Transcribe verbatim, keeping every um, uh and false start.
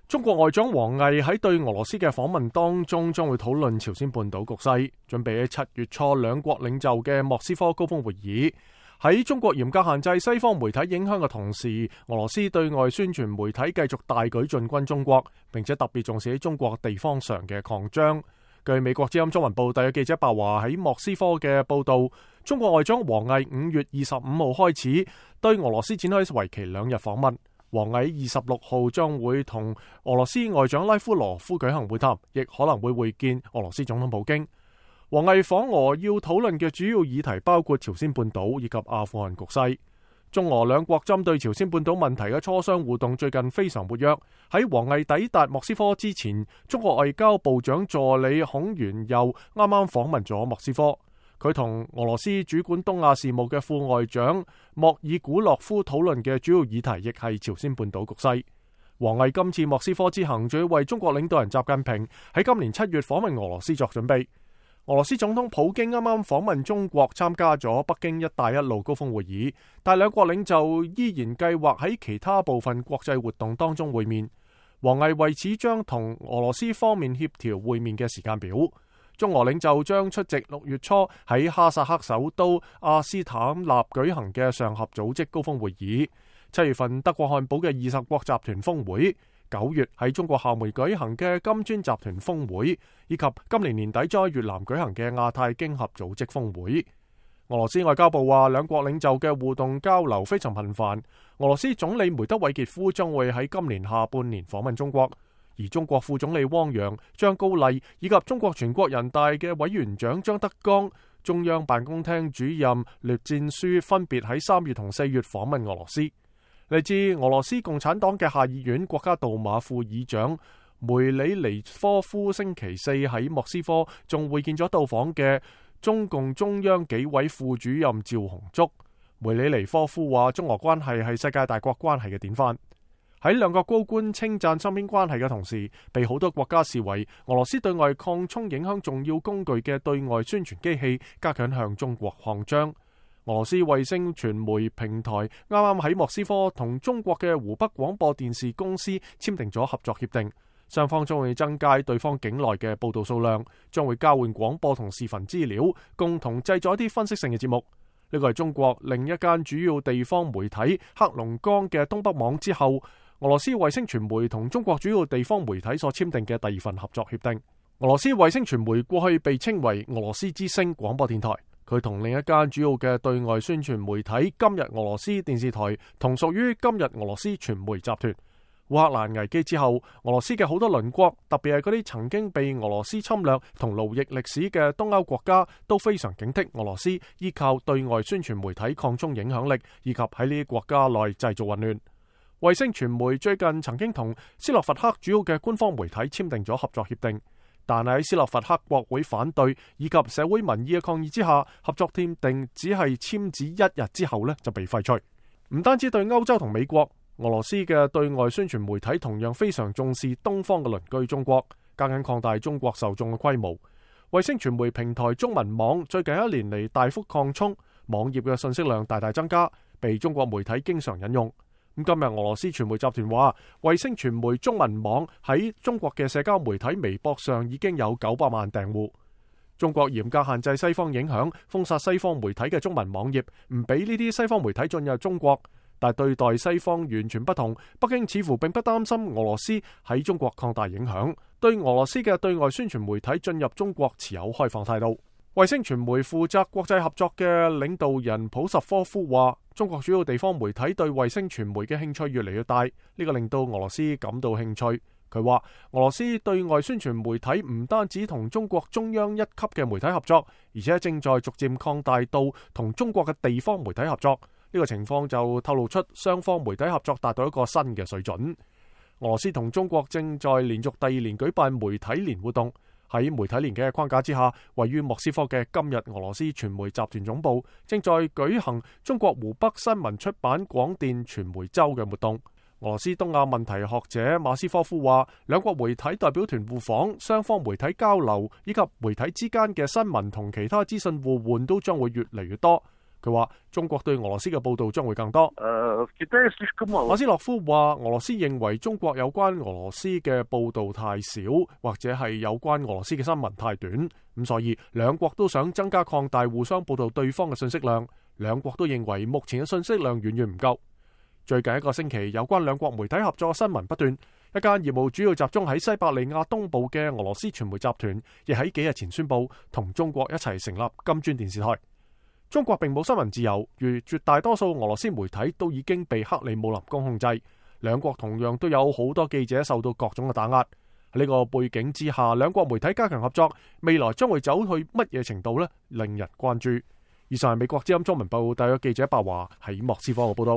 中國外長王毅喺對俄羅斯嘅訪問當中，將會討論朝鮮半島局勢，準備喺七月初兩國領袖嘅莫斯科高峰會議。喺中國嚴格限制西方媒體影響嘅同時，俄羅斯對外宣傳媒體繼續大舉進軍中國，並且特別重視喺中國地方上嘅擴張。據美國之音中文部特約記者白華喺莫斯科嘅報道，中國外長王毅五月二十五號開始對俄羅斯展開為期兩日訪問。王毅二十六號將會同俄羅斯外長拉夫羅夫舉行會談，亦可能會會見俄羅斯總統普京。王毅訪俄要討論嘅主要議題包括朝鮮半島以及阿富汗局勢。中俄兩國針對朝鮮半島問題嘅磋商互動最近非常活躍。喺王毅抵達莫斯科之前，中國外交部長助理孔元佑啱啱訪問咗莫斯科。佢同俄羅斯主管東亞事務嘅副外長莫爾古洛夫討論嘅主要議題亦係朝鮮半島局勢。王毅今次莫斯科之行，仲要為中國領導人習近平喺今年七月訪問俄羅斯作準備。俄羅斯總統普京啱啱訪問中國，參加咗北京一帶一路高峰會議，但兩國領袖依然計劃喺其他部分國際活動當中會面。王毅為此將同俄羅斯方面協調會面嘅時間表。中俄領袖將出席六月初喺哈薩克首都阿斯坦納舉行嘅上合組織高峰會議，七月份德國漢堡嘅二十國集團峰會，九月喺中國廈門舉行嘅金磚集團峰會，以及今年年底在越南舉行嘅亞太經合組織峰會。俄羅斯外交部話，兩國領袖嘅互動交流非常頻繁。俄羅斯總理梅德韋傑夫將會喺今年下半年訪問中國。而中國副總理汪洋、張高麗以及中國全國人大嘅委員長張德江、中央辦公廳主任栗戰書分別喺三月同四月訪問俄羅斯。嚟自俄羅斯共產黨嘅下議院國家杜馬副議長梅里尼科夫星期四喺莫斯科仲會見咗到訪嘅中共中央紀委副主任趙紅竹。梅里尼科夫話，中俄關係係世界大國關係嘅典範。喺兩國高官稱讚雙邊關係嘅同時，被好多國家視為俄羅斯對外擴充影響重要工具嘅對外宣傳機器，加緊向中國擴張。俄羅斯衛星傳媒平台啱啱喺莫斯科同中國嘅湖北廣播電視公司簽訂咗合作協定，雙方將會增加對方境內嘅報道數量，將會交換廣播同視頻資料，共同製作一啲分析性嘅節目。呢個係中國另一間主要地方媒體黑龍江嘅東北網之後，俄羅斯衛星傳媒同中國主要地方媒體所簽訂嘅第二份合作協定。俄羅斯衛星傳媒過去被稱為俄羅斯之聲廣播電台，佢同另一間主要嘅對外宣傳媒體今日俄羅斯電視台同屬於今日俄羅斯傳媒集團。烏克蘭危機之後，俄羅斯嘅好多鄰國，特別係嗰啲曾經被俄羅斯侵略同奴役歷史嘅東歐國家，都非常警惕俄羅斯依靠對外宣傳媒體擴充影響力，以及喺呢啲國家內製造混亂。衛星傳媒最近曾經同斯洛伐克主要嘅官方媒體簽訂咗合作協定，但係喺斯洛伐克國會反對以及社會民意嘅抗議之下，合作協定只係簽字一日之後呢就被廢除。唔單止對歐洲同美國，俄羅斯嘅對外宣傳媒體同樣非常重視東方嘅鄰居中國，加緊擴大中國受眾嘅規模。衛星傳媒平台中文網最近一年嚟大幅擴充，網頁嘅信息量大大增加，被中國媒體經常引用。咁今日俄羅斯傳媒集團話，衛星傳媒中文網喺中國嘅社交媒體微博上已經有九百萬訂戶。中國嚴格限制西方影響，封殺西方媒體嘅中文網頁，唔俾呢啲西方媒體進入中國。但對待西方完全不同，北京似乎並不擔心俄羅斯喺中國擴大影響，對俄羅斯嘅對外宣傳媒體進入中國持有開放態度。衛星傳媒負責國際合作嘅領導人普什科夫話，中國主要地方媒體對衛星傳媒嘅興趣越嚟越大，呢個令到俄羅斯感到興趣。佢話俄羅斯對外宣傳媒體唔單止同中國中央一級嘅媒體合作，而且正在逐漸擴大到同中國嘅地方媒體合作。呢個情況就透露出雙方媒體合作達到一個新嘅水準。俄羅斯同中國正在連續第二年舉辦媒體年活動。喺媒體年嘅框架之下，位於莫斯科嘅今日俄羅斯傳媒集團總部正在舉行中國湖北新聞出版廣電傳媒周嘅活動。俄羅斯東亞問題學者馬斯科夫話，兩國媒體代表團互訪，雙方媒體交流以及媒體之間嘅新聞同其他資訊互換都將會越嚟越多。佢話中國對俄羅斯嘅報道將會更多。馬斯洛夫話俄羅斯認為中國有關俄羅斯嘅報道太少，或者係有關俄羅斯嘅新聞太短，咁所以兩國都想增加擴大互相報道對方嘅信息量。兩國都認為目前嘅信息量遠遠唔夠。最近一個星期，有關兩國媒體合作嘅新聞不斷。一間業務主要集中喺西伯利亞東部嘅俄羅斯傳媒集團，亦喺幾日前宣布同中國一齊成立金磚電視台。中國並冇新聞自由，如絕大多數俄羅斯媒體都已經被克里姆林宮控制。兩國同樣都有好多記者受到各種嘅打壓。喺呢個背景之下，兩國媒體加強合作，未來將會走去乜嘢程度呢？令人關注。以上係美國之音中文部特約記者白華喺莫斯科嘅報道。